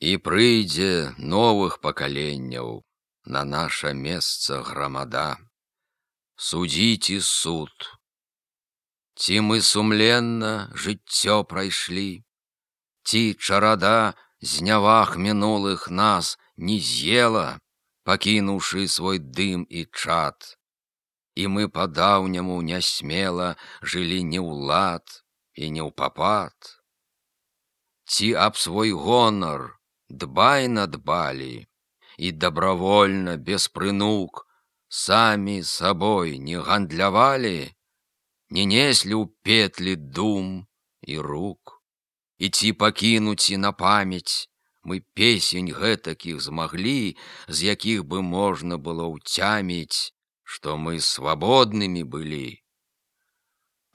І прыйдзе новых пакаленняў на наша месца грамада. Судзіць і суд. Ці мы сумленна жыццё прайшлі, ці чарада зняваг мінулых нас не з'ела, пакінуўшы свой дым і чад. І мы па-даўняму нясмела жылі не ў лад і не ў папад. Ці аб свой гонар дбайна дбалі і дабравольна, без прынук, самі сабой не гандлявалі, не неслі ў петлі дум і рук. І ці пакінуць і на памяць мы песень гэтакіх змаглі, з якіх бы можна было ўцяміць, што мы свабоднымі былі.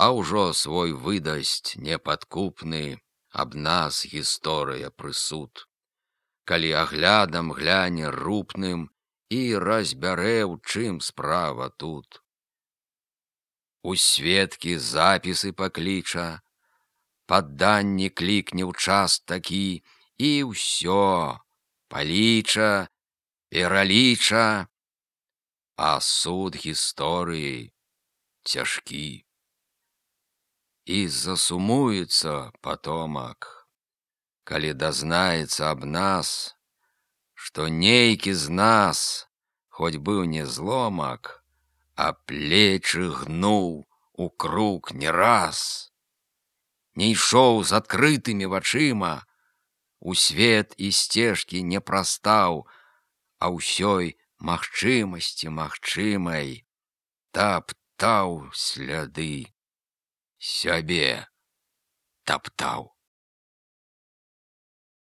А ўжо свой выдасць непадкупны аб нас гісторыя прысуд, калі аглядам гляне рупным і разбярэ, у чым справа тут. У сведкі запісы пакліча, падданне клікне ў час такі, і ўсё паліча, пераліча, а суд гісторыі цяжкі. І засумуецца патомак, калі дазнаецца аб нас, што нейкі з нас, хоць быў не зломак, а плечы гнуў у круг не раз, не ішоў з адкрытымі вачыма, у свет і сцежкі не прастаў, а ўсёй магчымасці магчымай таптаў сляды, сябе таптаў.